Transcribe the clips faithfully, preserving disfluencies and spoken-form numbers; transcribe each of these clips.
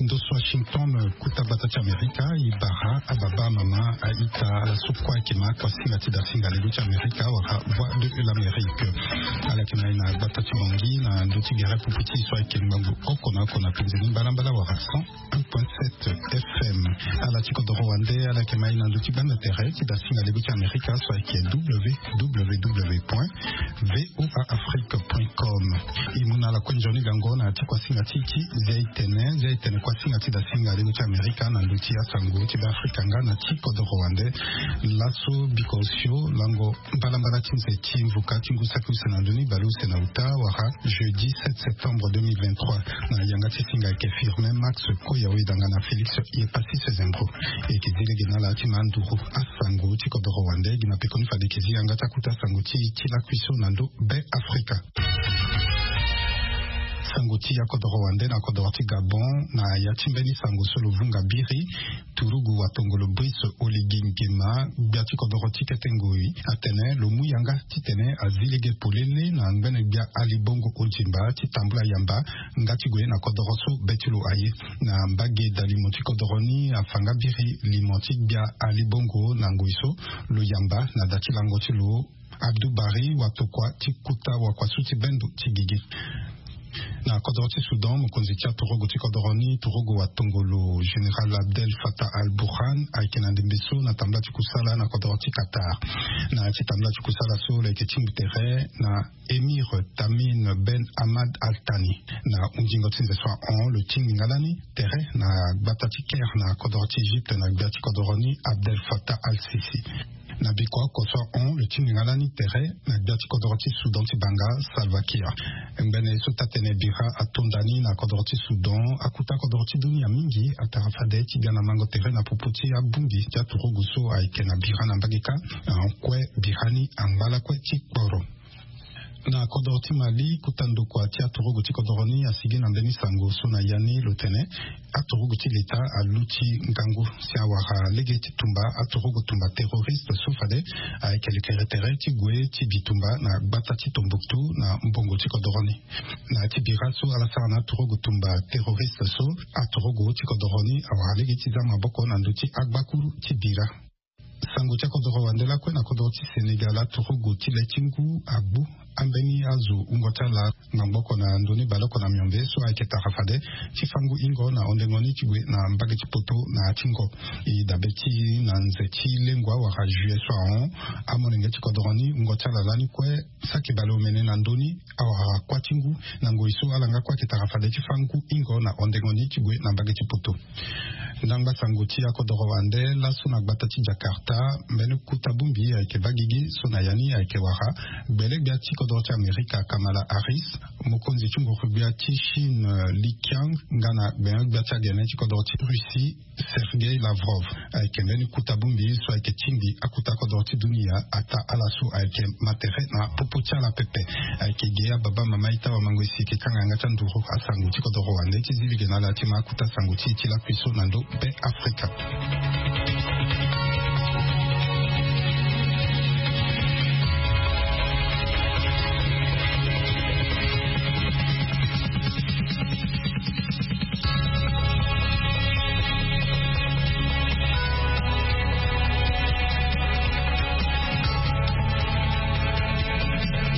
Ndo so Washington, kuta gbata ti Amerika, e bara ababa, amama, a-ita, ala so kue ayeke ma kuasinga ti dasinga lego ti Amerika wala Voix de l'Amérique. Ala yeke na e na gbata ti Bangui na ndö ti gere pupu ti e so ayeke ngbangbo oko na oko na penze ni mbalambala wala cent un point sept F M. Ala ti kodoro wande ala yeke ma e na ndö ti gbanda tere ti dasinga lego ti Amerika so ayeke W W W point V O A Afrique point com. E mu na ala kue nzoni gango na ya ti kuasinga ti e ti zia e tene, zia e tene kuasinga ti dasinga lego ti Amerika na ndö ti asango ti Beafrika nga na ti kodoro wande. Laso biko osio lango mbalambala ti nze ti mvuka ti ngu saki use na ndoni bale use na uta wala jeudi sept septembre deux mille vingt-trois. Na yanga ti singa ayeke Firmin Max Koya, oyedanga na Félix Yepassis Zembro. E yeke zi lege na ala ti ma nduru asango ti kodoro wande gi na pekoni fade e yeke zi yanga ti akuta sango ti e ti lakui so na ndo Beafrika. Sango ti akodoro wande na kodoro ti Gabon na ya ti mbeni sango so lo vunga biri. Turugu watongolo Brice Oligui Nguema, gbia ti kodoro ti kete ngoi, atene lo mu yanga titene azi lege polele na ngbene gbia Ali Bongo Ondimba ti tambula yamba nga ti gue na kodoro so be ti lo aye. Na mbage dalimo ti kodoro ni afa nga biri limo ti gbia Ali Bongo na ngoi so lo yamba na da ti lango ti lo Abdou Barry Watokua ti kuta wakuasu ti bendo ti gigi. Na kodoro ti Soudan, mokonzi ti aturugu ti kodoro ni, turugu watongolo Général Abdel Fattah al-Burhan, ayeke na ndembe so na tambula ti kusala na kodoro ti Qatar. Na ya ti tambula ti kusala so lo yeke tingbi tere na Émir Tamim Ben Hamad Al Thani. Na hunzingo ti nze so ahon, lo tingbi nga lani tere na gbata ti Caire na kodoro ti Egypte na gbia ti kodoro ni Abdel Fattah al-Sisi. Na biko oko so ahon, lo tingbi nga lani tere na gbia ti kodoro ti Soudan ti banga, Salva Kiir. Ngbene so taa-tene bira ato nda ni na kodoro ti Soudan, akuta kodoro ti dunia mingi atara fade ti ga na mango tere na popo ti abongbi ti aturugu so ayeke na bira na mbage kâ. Ahon kue bira ni angba lakue ti kporo. Na kodoro ti Mali, kuta ndokua ti aturugu ti kodoro ni asigi na mbeni sango so na ya ni lo tene aturugu ti leta aluti ngangu si awara lege ti tumba aturugu tumba terroriste so fade ayeke lekere tere ti gue ti bitumba na gbata ti Tombouctou na mbongo ti kodoro ni. Na ya ti bira so ala sara na aturugu tumba terroriste so, aturugu ti kodoro ni awara lege ti za maboko na ndö ti agbakuru ti bira. Sango ti akodoro wande lakue na kodoro ti Sénégal, aturugu ti le ti ngu agbu ambeni azo wungo ti ala ngbangbo oko na ndoni baleoko na miombe so ayeke tara fade ti fango hingo na hondengo ni ti gue na mbage ti poto na ya ti ngo. E dabe ti na nze ti lengua wala juillet so ahon, amolenge ti kodoro ni wungo ti ala lani kue saki baleomene na ndö ni awara kuâ ti ngu na ngoi so ala nga kue ayeke tara fade ti fâ ngu hingo na hondengo ni ti gue na mbage ti poto. Ndangba sango ti akodoro wande laso na gbata ti Jakarta, mbeni kuta bongbi ayeke baa gigi so na ya ni ayeke wara gbele-gbia ti kodoro ti Amerika Kamala Harris, mokonzi ti nguru-gbia ti Chine Li Qiang nga na gbene-gbia ti agene ti kodoro ti Russie Sergei Lavrov. Ayeke mbeni kuta bongbi so ayeke tingbi akuta kodoro ti dunia ataa ala so ayeke ma tere na popo ti ala pepe. Ayeke ge ababa, mama, ita, wamango, e si e yeke ti anga yanga ti anduru asango ti kodoro wande ti zi lege na ala ti ma akuta sango ti e ti lakui so na ndo Beafrika.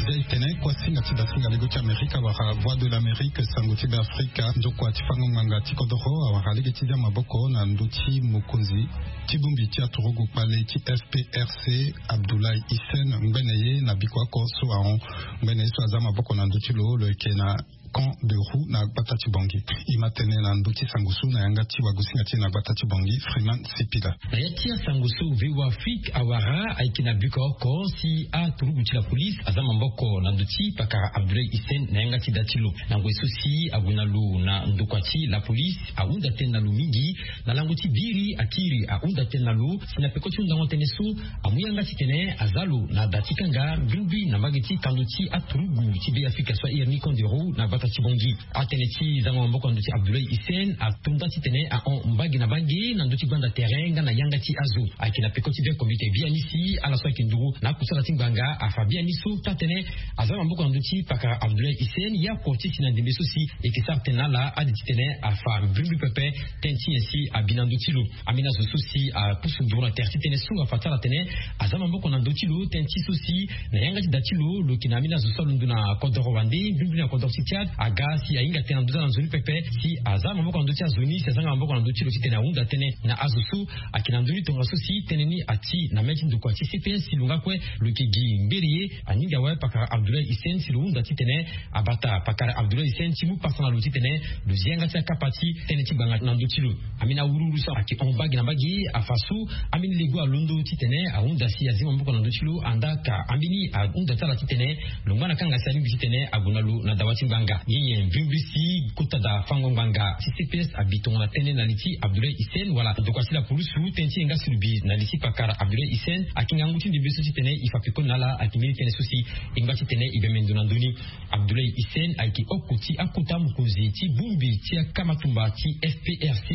Zia e tene kuasinga ti dasinga lego ti Amerika wala Voix de l'Amérique, sango ti Beafrika, nzokua ti fango ngbanga ti kodoro awara lege ti zia maboko na ndö ti mokonzi ti bongbi ti aturugu kpale ti F P R C, Abdoulaye Hissène, ngbene ye na biko oko so ahon. Ngbene ye so aza maboko na ndö ti lo, lo yeke na Camp de Roux na gbata ti Bangui. E ma tene na ndö ti sango so na yanga ti wagosinga ti e na gbata ti Bangui, Freeman Sipila. Na ya ti asango so V O A Afrique awara ayeke na biko oko si aturugu ti la police aza maboko na ndö ti pakara Abdoulaye Hissène na yanga ti da ti lo. Na ngoi so si ague na lo na ndokua ti la police ahunda tënë na lo mingi na lango ti biri akiri ahunda tënë na lo si na peko ti hundango tënë so amu yanga titene aza lo na da ti kanga mbi mbi na mbage ti kando ti aturugu ti Beafrika so ahiri ni Camp de Roux na gbata Ti bongi atene ti zango maboko na ndö ti Abdoulaye Hissène atonda titene ahon mbage na mbage na ndö ti gbanda terrain nga na yanga ti azo. Ayeke na peko ti be komite biani si ala so ayeke nduru na akusala ti ngbanga afa biani so taa-tënë aza maboko na ndö ti pakara Abdoulaye Hissène ye oko ti si na ndembe so si eke sara tënë na ala ade titene afa mbrimbri pepe. Tënë ti nyen si abi na ndö ti lo? Ambeni azo so si apusu nduru na tere ti tënë so afa ti ala atene aza maboko na ndö ti lo. Tënë ti so si na yanga ti da ti lo lo yeke na ambeni azo so alondo na kodoro wande mbrimbri na kodoro ti Tchad aga si ahinga tënë na ndö ti ala na nzoni pepe si aza maboko na ndö ti azo ni si azanga maboko na ndö ti lo titene ahunda tënë na azo so ayeke na ndö ni tongaso si tënë ni ati na mê ti ndokua ti C P S si lo nga kue lo yeke gi ngberi ye. Aninga awe pakara Abdoulaye Hissène si lo hunda titene abata pakara Abdoulaye Hissène ti mu pasa na lo titene lo zi yanga ti akapa ti tënë ti ngbanga na ndö ti lo. Ambeni awuruwuru so ayeke hon mbage na mbage afa so ambeni lego alondo titene ahunda si azi maboko na ndö ti lo andaa ka ambeni ahunda ti ala titene lo ngba na kanga si alingbi titene ague na lo na dawa ti ngbanga. Ye nyen mbrimbri si kota da fango ngbanga ti C P S abi tongana tënë na li ti Abdoulaye Hissène wala ndokua ti lapulusu? Tënë ti yanga si lo bi na li ti pakara Abdoulaye Hissène ayeke ngangu ti ndembe so titene e fa pekoni na ala ayeke mbeni tënë so si e ngba titene e bembe ndo na ndö ni. Abdoulaye Hissène ayeke oko ti akota mokonzi ti bongbi ti akamatumba ti F P R C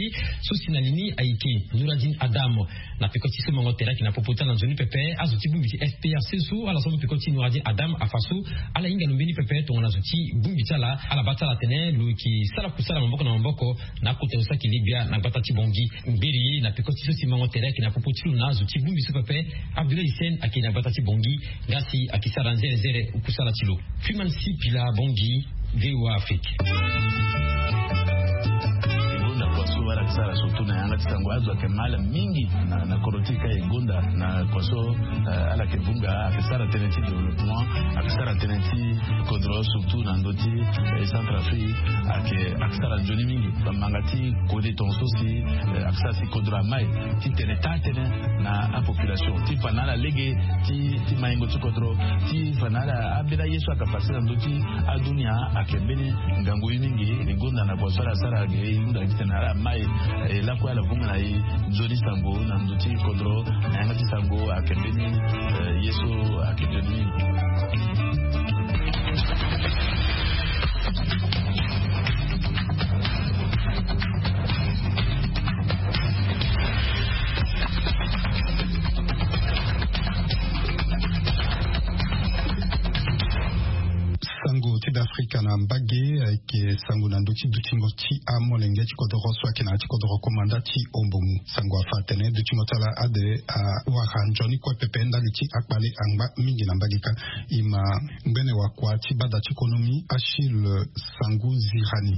so si na li ni ayeke Nouradine Adam. Na peko ti so mango tere ayeke na popo ti ala na nzoni pepe azo ti bongbi ti F P R C so ala so mu peko ti Nouradine Adam afa so ala hinga lo mbeni pepe tongana zo ti bongbi ti ala ala baa ti ala atene lo yeke sara kusala maboko na maboko na akota zo so ayeke legbia na gbata ti bongi. Ngberi ye na peko ti so si mango tere ayeke na popo ti lo na azo ti bongbi so pepe. Abdoulaye Hissène ayeke na gbata ti bongi nga si ayeke sara nzerenzere kusala ti lo. Freeman Sipila Bongi, V O A Afrique. E gonda kua so ala yeke sara surtout na yanga ti sango azo ayeke mal mingi na kodro ti e ka e gonda na kua so ala yeke vunga ayeke sara tënë ti développement ayeke sara tënë ti kodro surtout na ndö ti Centrafrique ayeke ayeke sara nzoni mingi. Bamanga ti kode tongaso si ayeke sara si kodro amai ti tene taa-tënë na apopulation ti fa na ala lege ti maingo ti kodro ti fa na ala ambeni aye so ayeke pase na ndö ti adunia. Ayeke mbeni ngangu ye mingi. E gonda na kua so ala sara ayeke e hunda titene ala mai e lakue ala vunga na e nzoni sango na ndö ti kodro na yanga ti sango ayeke mbeni ye so ayeke nzoni mingi. Sango ti Beafrika na mbage ayeke sango na ndö ti dutingo ti amolenge ti kodoro so ayeke na ya ti kodoro komanda ti Ombomu. Sango afa atene dutingo ti ala ade awara nzoni kue pepe ndali ti akpale angba mingi na mbage kâ. E ma ngbene wakua ti bada ti konomi Achille Sangu Zirani.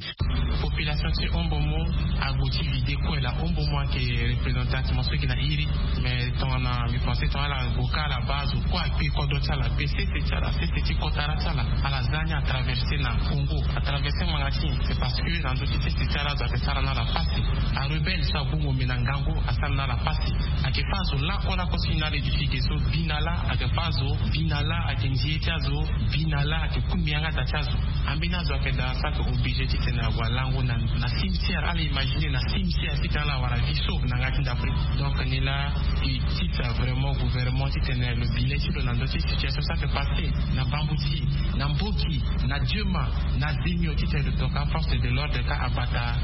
Population ti Ombomu agbu ti vide kue laa. Ombomu ayeke représente attention so ayeke na iri. Mais tongana mbi pense tongana ala gue kâ ala baa azo kue akpe kodro ti ala akpe sese ti ala sese ti kotara ti ala. Ala za ni atraverse na Congo atraverse ngbanga ti nyen? C'est parce que na ndö ti sese ti ala azo ayeke sara na ala pasi. Arebelle so agbu ngombe na ngangu asara na ala pasi. Ayeke fâ azo lakue lakue so e na ala édifié ge so bi na laa ayeke fâ azo bi na laa ayeke nzie ti azo bi na laa ayeke kungbi yanga da ti azo. Ambeni azo ayeke daa so ayeke obligé titene ague alango na cimetière. Ala imagine na cimetière titene ala wara vie sauve na yanga ti ndapre. Donc ni laa e tita vraiment gouvernement titene lo bi le ti lo na ndö ti situation so ayeke pase na Bambouti, na Mboki, na Diema, na Zemio titene lo toka aforce de l'ordre kâ abata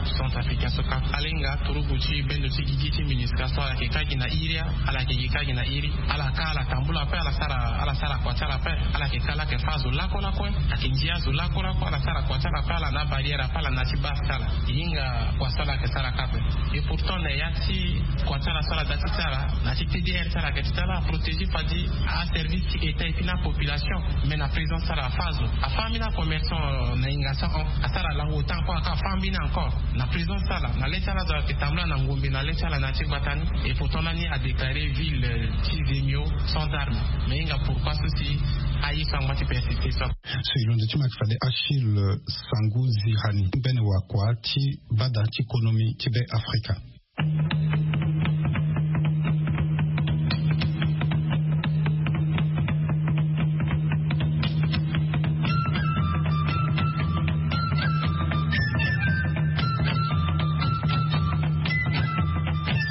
acentrafricain so kâ. Ala hinga turugu ti bendo ti gigi ti MINUSCA so ala yeke kâ gi na iri. Ala yeke gi kâ gi na iri. Ala kâ ala tambula ape ala sara ala sara kua ti ala ape. Ala yeke kâ laa ayeke fâ azo lakue lakue. Ayeke ndia azo lakue lakue ala sara kua ti ala ape ala na abarrière ape ala na ya ti base ti ala. E hinga kua so ala yeke sara kâ ape. Et pourtant na ya ti kua ti ala so ala da ti ti ala na ya ti T D R ti ala ayeke ti ti ala aprotégé fadi aservice ti état et puis na apopulation. Mais na présence ti ala afâ azo afâ ambeni acommerçant na hinga so ahon asara lango temps kue aka afâ ambeni encore. Na présence ti ala na le ti ala azo ayeke tambula na ngombe na le ti ala na ya ti gbata ni. Et pourtant lani adéclaré ville ti Zemio sans arme. Mais e hinga pourquoi so si aye so angba ti persisté so. So e londo ti ma ayeke fade Achille Sangu Zirani ngbene wakua ti bada ti konomi ti Be Afrika.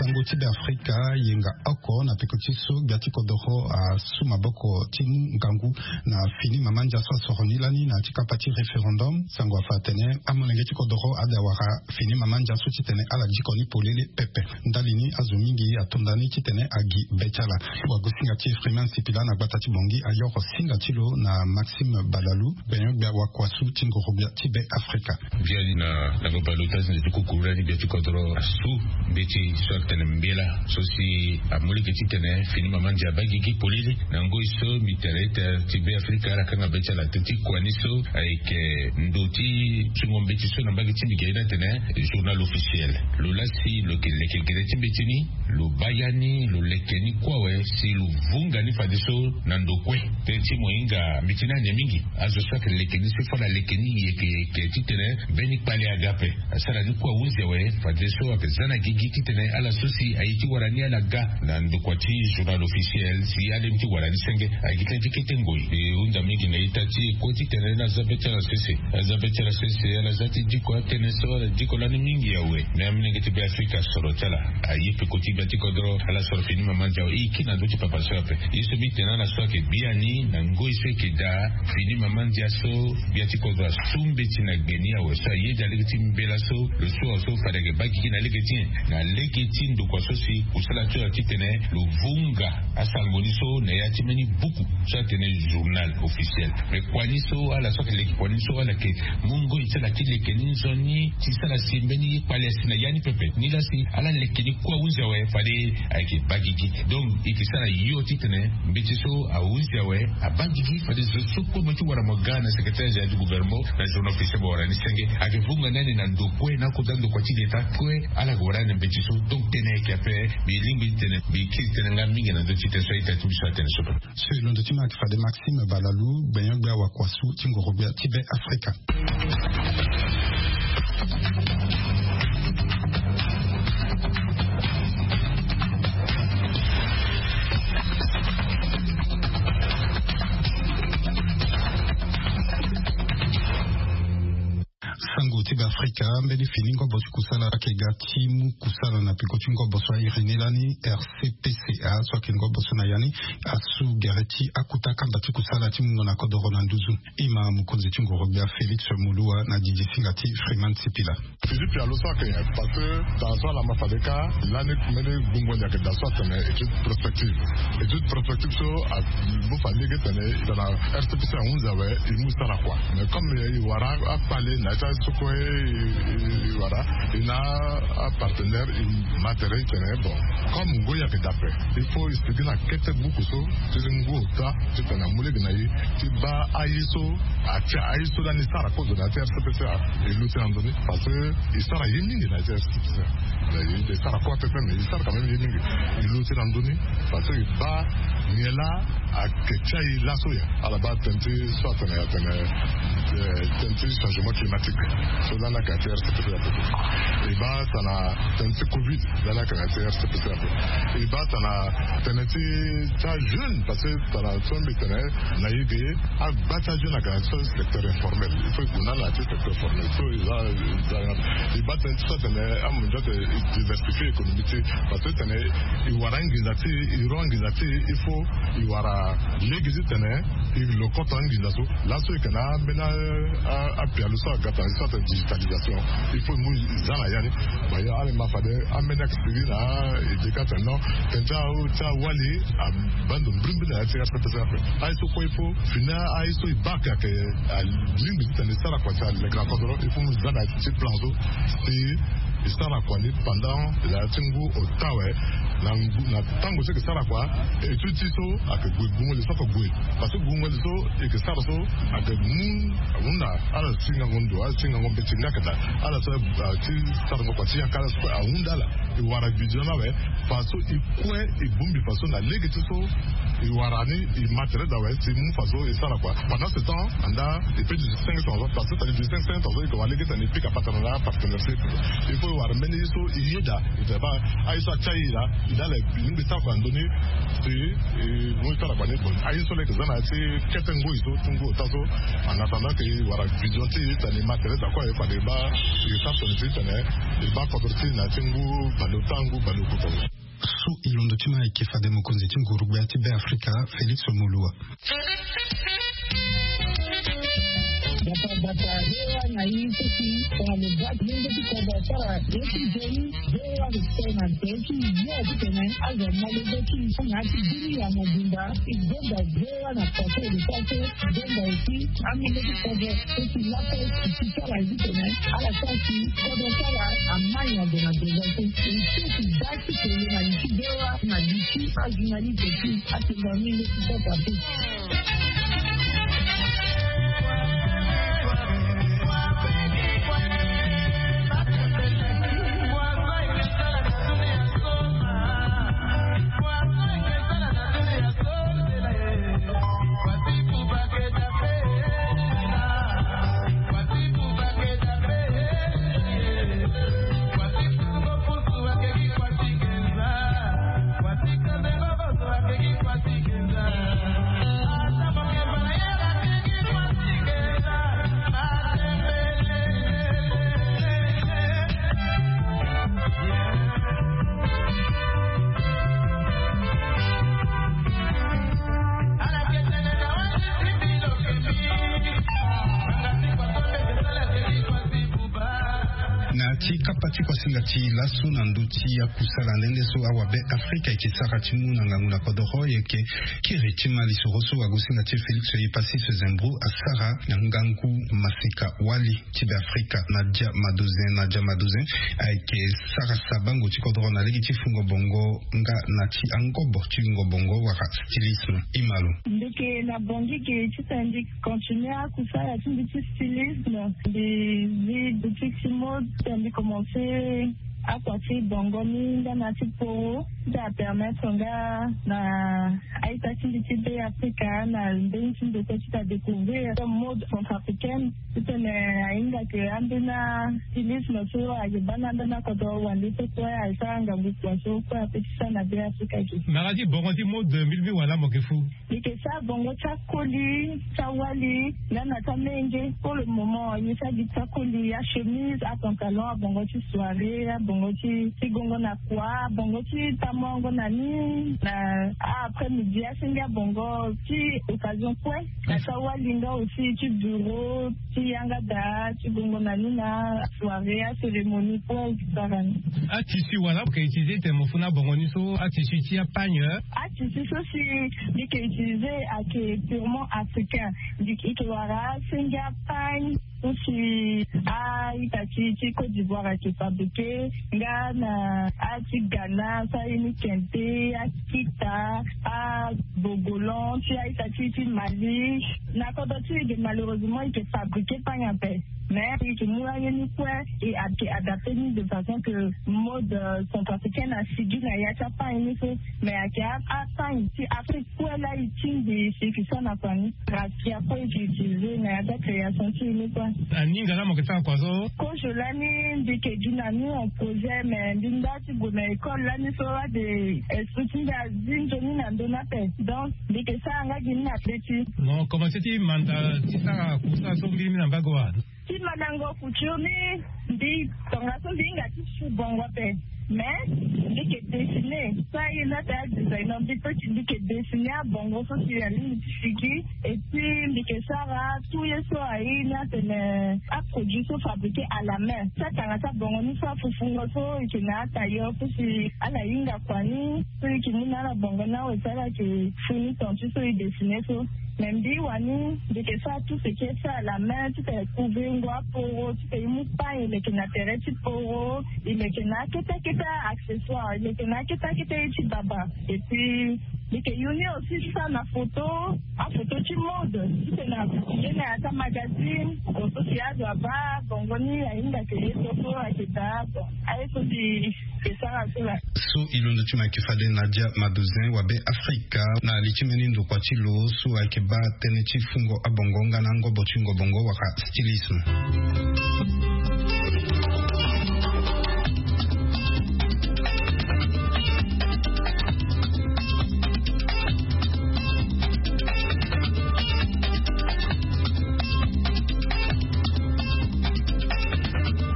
Sango ti Afrika yenga oko na peko ti so gbia ti kodoro asu maboko ti mu ngangu na fini mama ndia so asoro ni lani na ya ti kapa ti référendum. Sango afa atene amolenge ti kodoro ade awara fini mama ndia so titene ala diko ni polele pepe. Ndali ni azo mingi atonda ni titene agi be ti ala. Wagosinga ti Freeman Sipila na gbata ti Bongi ayoro singa ti lo na Maxime Balalu, benyo gbia wakuasu ti ngoro gbia ti be Afrika. Biani na lango baleota ti nze ti kukuru lani gbia ti kodoro asu mbeti so atene mbela so si amu lege titene fini mama ndia abaa gigi polele. Na ngoi so mbi tene ita ti be Afrika ala kanga be ti ala. Teti kua ni so ayeke ndo ti sungo mbeti so na mbage ti mbi gi aye ni atene journal officiel. Lo laa si lo yeke leke gere ti mbeti ni, lo baa ya ni, lo leke ni kue awe si lo vunga ni fadeso na ndo kue. Teti mo hinga mbeti ni ane mingi. Azo so ayeke leke ni so fo ala leke ni yeke yeke titene mbeni kpale aga ape. Asara ni kue ahunzi awe fadeso ayeke za na gigi titene ala so si aye ti wara ni ala ga na ndokua ti journal officiel si alemi ti wara ni senge. Agi tënë ti kete ngoi e hunda mingi na ita ti e kue titene ni aza be ti ala sese. Aza be ti ala sese ala za ti diko atënë so ala diko lani mingi awe. Me amolenge ti be Afrika asoro ti ala aye peko ti gbia ti kodoro ala soro fini mama ndia awe e ki na ndö ti papa so ape. Ye so mbi tene ala so ayeke biani na ngoi so eke daa fini mama ndia so gbia ti kodro asu mbeti na gbe ni awe so ayeda lege ti mbela so lo su awe so fade ayeke baa gigi na lege ti nyen? Na lege ti ndokua so si kusala ti lo titene lo vunga asango ni so na ya ti mbeni buku so atene journal officiel. Me kua ni so ala so ayeke leke kua ni so ala yeke mu ngoi ti ala ti leke ni nzoni ti sara si mbeni ye kpale asi na ya ni pepe. Nilaa si ala leke ni kue ahunzi awe fade ayeke baa gigi. Donc e yeke sara yo titene mbeti so ahunzi awe abaa gigi fade zo so kue mo ye ti wara mo ga na secrétaire général du gouvernement na journal officiel mo wara ni senge. Ayeke vunga ni ane na ndo kue na akota ndokua ti leta kue ala yeke wara ni na mbeti so. Donc tënë ayeke ape. Mbi lingbi titene mbi kiri tënë nga mingi na ndö ti tënë so aita ti mbi so atene so. So e londo ti mbi ayeke fade Maxime Balalu gbenyo-gbia wakuasu ti ngoro-gbia ti be Afrika. Sango ti be Afrika, mbeni fini ngobo ti kusala ayeke ga ti mu kusala na peko ti ngobo so airi ni lani, R C P C A so ayeke ngobo so na ya ni asu gere ti akuta kamba ti kusala ti mungo na kodoro na nduzu. Ima mokonzi ti ngoro-gbia Félix Moloua na didisingati Freeman Sipila. Fini pialo so ayeke nyen? Parce que tara so ala ma fade kâ lani mbeni gbungo ni ayeke daa so atene étude prospective. Étude prospective so amu fa lege tene tara R C P C ahunzi awe e mu sara kua. Mais comme e wara akpale na ya ti aye so kue e wara e na apartenaire e ma tere e tene bon, comme ngoi ayeke daa ape, il faut e sigi na kete buku so ti ngu ota titene amu lege na e ti baa aye so atia aye so lani e sara kozo na ya ti R C P C A e luti na ndoni. Parce que e sara ye mingi na ya ti R C P C A. E sara kua pepe mais e sara quand même ye mingi. E luti na ndoni parce que e baa nyen laa ayeke ti aye laso ya. Ala baa tënë ti so atene atene tënë ti changement climatique so lani ayeke na ya ti R C P C A. E baa tana tënë ti covid lani ayeke na ya ti R C P C A. E baa tana tënë ti ti ajeune parce que tana so mbi tene na e ge agba ti ajeune ayeke na so secteur informel. Il faut e gue na ala na ya ti secteur formel so e za e za. E baa tënë ti so atene amondio atene e diversifie économie ti e parce que tene e wara anginza ti e e ro anginza ti e il faut e wara lege titene e lo koto anginza so. Laso e yeke na ambeni apialo so aga tana so atene digitalisation. Il faut e mu e za na ya ni. Ba ya ala ma fade ambeni ayeke sigi na e deka atene non tënë ti awali abaa ndo mbirimbiri na ya ti R C P C A ape. Aye so kue il faut fini aye so e baa ayeke alingbi titene e sara kua si aleke na kodoro il faut mu za na ya ti plan so si e sara kua ni pendant na ya ti ngu ota awe. Na ngu na tango so e yeke sara kua étude ti so ayeke gue gbungo li so ayeke gue. Parce que gbungo li so e yeke sara so ayeke mu ahunda ala ti ngango ndo ala ti ngango mbeti nga ayeke daa ala so ti sarango kua ti yaka ala so kue ahunda ala. E wara vision ni awe faso e kue e bongbi faso na lege ti so e wara ni e ma tere daa awe si e mu faso e sara kua. Pendant ce temps andaa e peut duti cinq cents ans parce que tali duti cinq cents ans e yeke wara lege titene e pika patara na apartenaire so e pika. Il faut e wara mbeni ye so e yeda e tene baa aye so atia e laa e dala e lingbi sara kua na ndö ni. Si e mu e sara kua ni bon aye so laa e yeke za na ya ti kete ngoi so ti ngu ota so. En attendant ke e wara vision ti e titene e ma tere daa kue aye fade e baa e sara tene ti tene e baa kodro ti e na ya ti ngu baleota ngu baleokota. So e londo ti ma ayeke fade mokonzi ti nguru gbia ti Be Afrika, Félix Moloua. Bata bata, voa na ye soki tongana lo baa ti lenge ti kodro asara ye ti nzoni. Voa respect na nzoni ti yo titene azo amolenge ti na ya ti bini ya mobimba. E gonda voa na paso e lo sara so. Gonda aussi amolenge ti kodro soki lape e ti sara ye titene ala sara si kodro sara amai na ndo na ndo so. E soki baa ti tene na li ti voa na li ti ajournaliste ti atenda mingi ti kota te. Na ti kapa ti kuasinga ti laso na ndö ti akusala nde nde so awabe Afrika eke sara ti mu na ngangu na kodoro, eke kiri ti ma lisoro so agosinga ti Félix Epassis Zembrou asara na ngangu maseka wali ti Be Afrika, Nadia Madozin. Nadia Madozin ayeke sara sabango ti kodoro na lege ti fungo bongo nga na ti angobo ti wingo bongo wala stylisme. Imalo. Ndeke na bongi ke ti tandi continuer akusala ti mbi ti stylisme. Mbi zi boutique ti mode, mbi commencer akua ti bongo ni nga na ti poro. Ti apermettre nga na aita ti mbi ti Be Afrika na mbeni ti ndeko ti ta découvrir mode centrafricaine. Titene ahinga ke ambeni stylisme so ayeke baa na ambeni akodro wande so kue asara ngangu kua so kue ape ti sara na Be Afrika ke. Mara ti bongo ti mode mbi mbi wala mo ke fu. Mbi ke sara bongo ti akoli, ti awali, nga na ti amenge. Pour le moment, mbi sara gi ti akoli, achemise, apantalon, abongo ti soirée, abongo ti, ti gongo na kua, abongo ti tamongo na ni, na a après-midi, asenge abongo ti occasion kue. Na ti awali nga aussi ti bureau, ti yanga daa, ti gongo na ni na soirée, acérémonie kue, et cetera. Atissu wala mo ke utiliser tene mo fu na bongo ni so, atissu ti apagne? Atissu so si mbi ke utiliser ayeke purement africain. Mbi ke wara asenge apagne so si a-ita ti, ti Côte d'Ivoire ayeke fabriquer, nga na a-ti Ghana so aye ni kente, akita, abogolan ti a-ita ti, ti Mali. Na kodro ti e ge malheureusement e ke fabriquer pagne ape. Mais e ke mu aye ni kue, e ayeke adapter ni de façon que mode, euh, centrafricaine asigi na ya ti apagne ni so. Mais ayeke a, apagne ti Afrique kue laa e tingbi si e ke sara na kua ni. Raffia kue e ke utiliser na ya ti acréation ti e ni kue. Aninga laa mo ke sara kua so? Kozo lani mbi ke gi na ni en projet, mais mbi nda ti gue na école lani so ade esprit ti mbi azi nzoni na ndö ni ape. Donc mbi ke sara nga gi ni na be ti. Mo commencer ti manda ti sara kusala so mbirimbiri na mbage wa? Ti mandango couture ni, mbi tongaso mbi hinga ti su bongo ape. Mais mbi ke dessiner so aye ni ate adesigner, mbi pe ti mbi ke dessiner abongo so si alingbi ti sigi. Et puis mbi ke sara tout ye so aye ni atene aproduit so fabriquer à la main. Ti atanga ti abongo ni so afufungo so e ke na atailleur so si ala hinga kua ni so e ke mu na ala bongo ni awe so ala ke fu ni ton ti so e dessiner so. Mais mbi wani mbi ke sara tout ce qui est fait à la main, ti tene couvrir ngo aporo, ti tene e mu pagne e leke na tere ti poro, e leke na akete akete accessoire, e leke na akete akete ye ti baba. Et puis mbi ke yu ni aussi ti sara na photo, aphoto ti mode, ti tene a publier na ya ti amagazine, photo si azo abaa bongo ni ahinga ke ye so so ayeke daa. Bon, aye so mbi ke sara so laa. So e londo ti mo ayeke fade Nadia Madozin wa Be Afrika na li ti mbeni ndokua ti lo so ayeke baa tënë ti fungo abongo nga na angobo ti wingo bongo wala stylisme.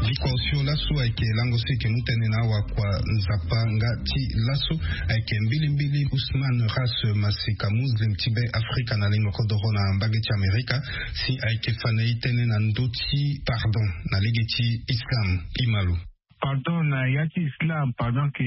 Biko osio la So ayeke lango so eke mu tënë na awakua nzapa nga ti laso ayeke mbilimbili Ousmane Ras, masika muslim ti be Afrika na lingo kodoro na mbage ti Amerika, si ayeke fa na e tënë na ndö ti pardon na lege ti Islam. Imalo. Pardon na ya ti Islam, pardon ke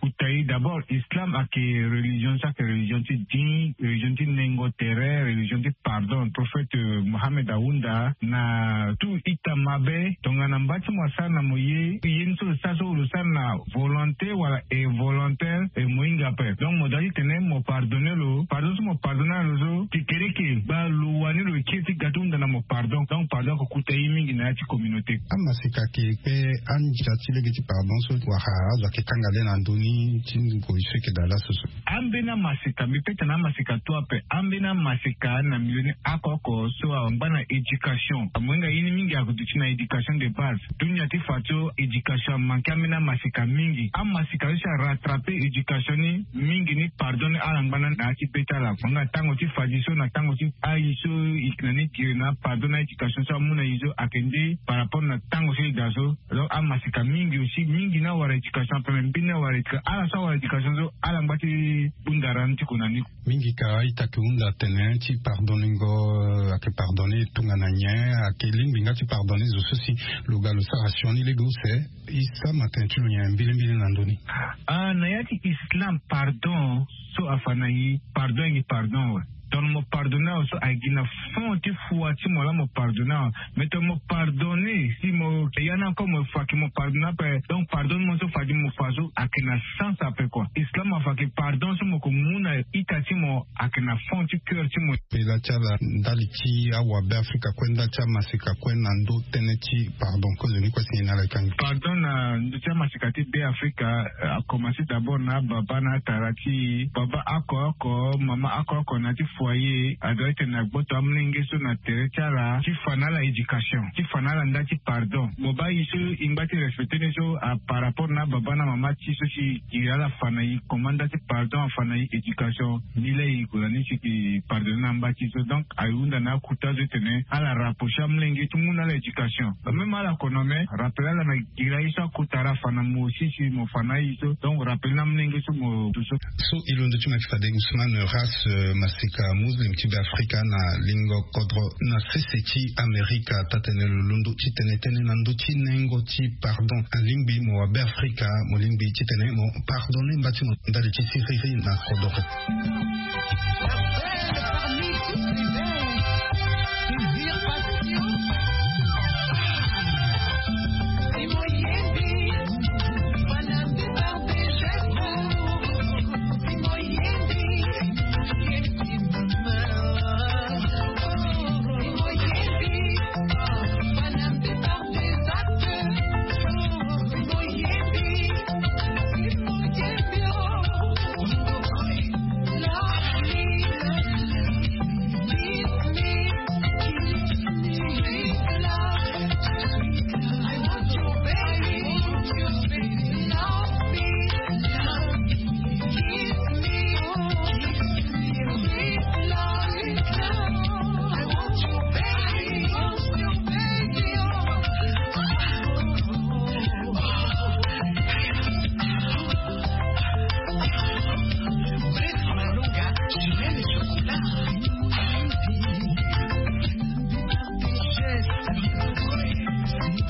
kuta e. D'abord, Islam ayeke religion so ayeke religion ti din, religion ti nengo tere, religion ti pardon. Prophète Mohamed ahunda na tout ita mabe tongana mba ti mo asara na mo ye, ye ni so lo sara so lo sara na volonté wala involontaire, e mo hinga ape. Donc mo doit ti tene mo pardonner lo. Pardon so mo pardonner lo so, kekereke gba lo wani lo kiri ti ga ti hunda na mo pardon. Donc pardon ayeke kuta e mingi na ya ti communauté. Amasika ayeke kpe andia ti lege ti pardon so wala azo ayeke kanga le na ndö ni ti ngoi so eke daa laso so? Ambeni amasika, mbi peut na amasika tu ape. Ambeni amasika na milieu ni oko oko so angba na éducation. Amohinga ye ni mingi ayeke duti na éducation de base. Dunia ti fa so éducation amanke ambeni amasika mingi. Amasika so si arattraper éducation ni mingi ni pardon ni ala ngba na na ya ti be ti ala. Amohinga tango ti fadi so na tango ti ayi so e yeke na ni giri na pardon na éducation so amu na e so ayeke nde par rapport na tango so e daa so. Donc amasika mingi aussi, mingi ni awara éducation ape, me mbeni ni awara éducation. Ala so awara éducation so ala ngba ti hunda rani ti ko na ni. Mingi ka a-ita ayeke hunda atene ti pardonningo, eh, ayeke pardonner tongana nyen? Ayeke lingbi nga ti pardonner zo so si lo ga lo sara sioni lege use. E sama tene ti lo nyen mbilimbili na ndö ni? Ah, na ya ti Islam, pardon so afa na e, pardon ayeke pardon awe. Donc mo pardonner awe so ayeke gi na fond ti foi ti mo laa mo pardonner awe. Mais tongana mo pardonner, si mo ya ni encore mo fa ke mo pardonner ape. Donc pardon ni mo so fa ti mo fa so ayeke na sens ape quoi. Islam afa ke pardon so mo ko mu na ita ti mo ayeke na fond ti cœur ti mo. Pela ti ala ndali ti awabe Afrika kue, ndali ti amasika kue na ndö tënë ti pardon, kozoni kue si nyen na ala e kangi? Pardon na ndö ti amasika ti be Afrika, eh, akomanse d'abord na ababa na atara ti e. Baba oko oko, mama oko oko na ya ti foyer, adoit ti tene agboto amolenge so na tere ti ala ti fa na ala éducation, ti fa na ala nda ti pardon. Mo baa e so e ngba ti respecter ni so, a par rapport na ababa na mama ti e so si e giri ala fa na e comment nda ti pardon afa na e éducation. Ni laa e ko na ni si e pardonner na mba ti e so. Donc ahunda na akuta so ti tene ala rapprocher amolenge ti mu na ala éducation. Même ala kono me rappeler ala na giri aye so akota ala fa na mo aussi si mo fa na aye so. Donc rappeler na amolenge so mo duti so. So e londo ti mo ayeke fade Ousmane Ras, eh, masika muslim ti be Afrika na lingo kodro na sese ti Amerika. Taa-tene lo londo ti tene tënë na ndö ti nengo ti pardon. Alingbi mo wabe Afrika, mo lingbi ti tene mo pardonner mba ti mo ndali ti siriri na kodoro.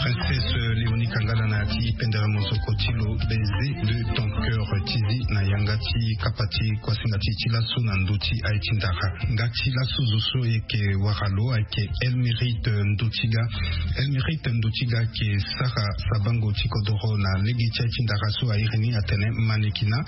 Princesse Léonie Kangala na ya ti pendere mozoko ti lo, baiser de ton cœur, ti zi na yanga ti kapa ti kuasinga ti e ti laso na ndö ti aye ti ndara. Nga ti laso zo so e yeke wara lo ayeke Elmirite Ndotiga. Elmirite Ndotiga ayeke sara sabango ti kodoro na lege ti aye ti ndara so a iri ni atene Manekina,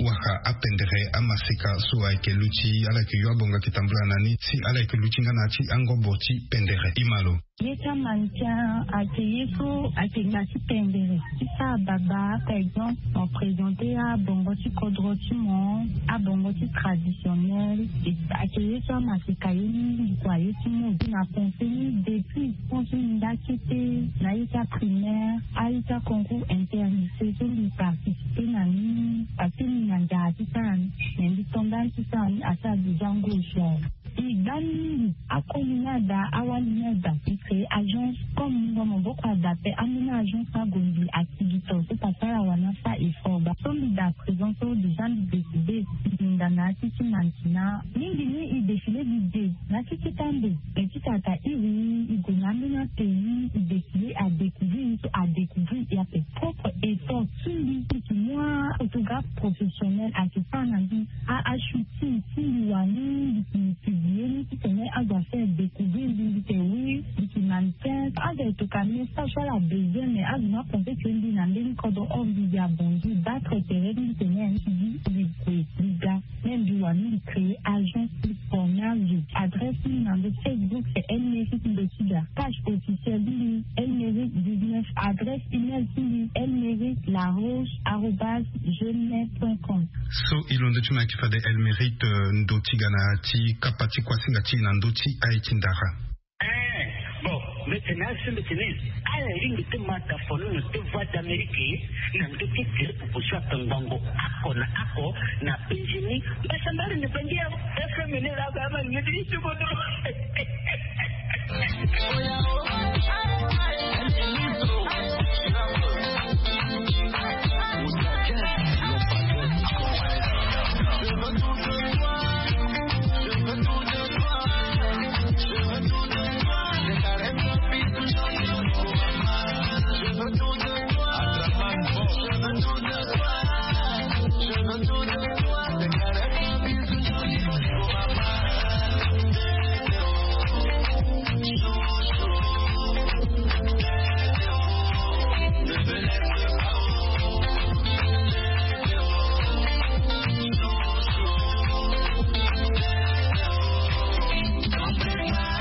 wala apendere amaseka so ayeke luti, ala yeke yo abonga ayeke tambula na ni si ala yeke luti nga na ya ti angobo ti pendere. Imalo. Ye ti amandian ayeke ye so ayeke nga ti pendere ti sara baba, par exemple mo présenter abongo ti kodro ti mo, abongo ti traditionnel. Ayeke ye so amaseka ye mingi kua, ye ti mo na pensé ni depuis pense ni nda kete na ye ti aprimaire, aye ti aconcours interlycée so mbi participer na ni parce que mbi na nzara ti sara ni. Mais mbi tonda ni ti sara ni asara déjà ngoi so awe. E gba ni mingi. Akoli ni ada, awali ni ada, e créer agence. Comme mungo maboko ada pe, ambeni agence ni ague mbi akigito so pasara wani asa effort. Ba so mbi da présent so déjà mbi décidé. Mbi hinga na ya ti ti mantina. Mingi ni e défilé mbi de na ya ti ti tambe. E ti tata iri e gue na ambeni apays e défilé, adécouvrir ni so adécouvrir e ape. Propre effort ti mbi, mbi yeke mu aphotographe professionnel ayeke sara na mbi. A, ashooting ti mbi wani, mbi yeke publié ni titene azo afaire découvrir mbi, mbi yeke oui, mbi yeke mannequin. Azo ayeke toka message so ala besoin, mais azo ni apenser que mbi na mbeni kodro, or mbi, mbi abongi battre tere ti mbi tene mbi, mbi gue mbi ga. Même mbi wani mbi créer agence ti formage. Adresse ni na ndo Facebook c'est Elmeric Ndotiga. Page officielle ni Elmeric dix-neuf. Adresse email ti mbi elmeric laroche arobase gmail point com. So e londo ti mo ayeke fade Elmeric, euh, Ndotiga na ya ti kapa ti kuasinga ti e na ndö ti aye ti ndara. Eh, bon, mbi tene asi mbi tene ala lingbi ti ma da follow na ti Voix d'Amérique na ndö ti tere proposition atangbango ako na ako na penzi ni. Mbasambari ni penzi ya F M ni la ba ma ni ti ti bodo.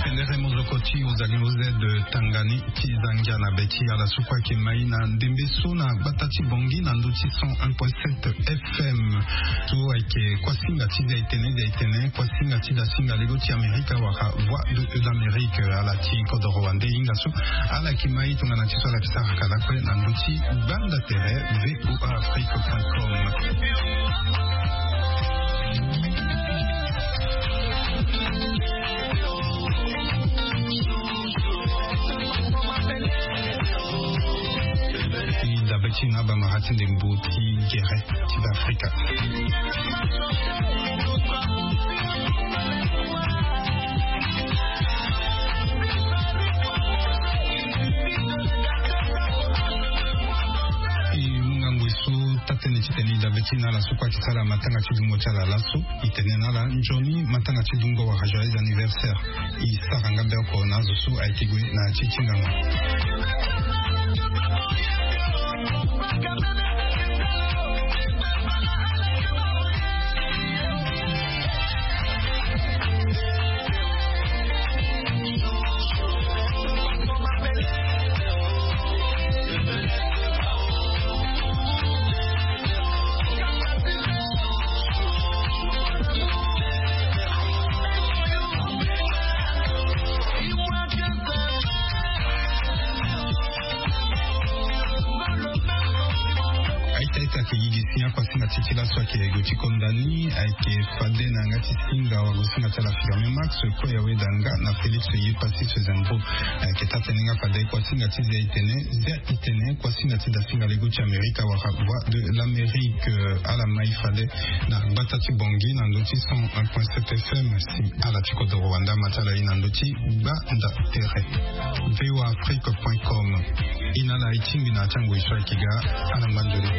Pendere mozoko ti Ozali O Z tanga ni ti zangia na be ti ala so kue ayeke mai na ndembe so na gbata ti Bangui na ndö ti cent un point sept F M. So ayeke kuasinga ti Zaitene, Zaitene, kuasinga ti dasinga lego ti Amerika wala Voix de l'Amérique. Ala ti kodoro wande hinga so ala yeke mai tongana ti so ala yeke sara kala kue na ndö ti gbanda tere V O A Afrique point com. E dabe ti na abamara ti ndembo ti gere ti Beafrika. E mu ngangu e so taa-tënë titene e dabe ti na ala so kue ayeke sara matanga ti dungo ti ala laso. E tene na ala nzoni matanga ti dungo wala joyeux anniversaire. E sara nga be oko na azo so ayeke gue na ya ti ti ngangu. Aita ita ayeke yigisi akuasinga ti ti laso ayeke gue ti konda ni ayeke fade na yanga ti singa wagosinga ti ala Firmin Max, kue awe da nga na Félix Yepassis Sezembo. Ayeke taa-tënë nga fade kuasinga ti Zaitene, Zaitene, kuasinga ti dasinga lego ti Amerika wala Voix de l'Amérique. Ala mai fade na gbata ti Bangui na ndö ti cent un point sept F M. Si ala ti kodoro wande ama ti ala e na ndö ti gbanda tere. V O A Afrique point com. E na ala e tingbi na ya ti angoi so ayeke ga. Ala ngba nzoni.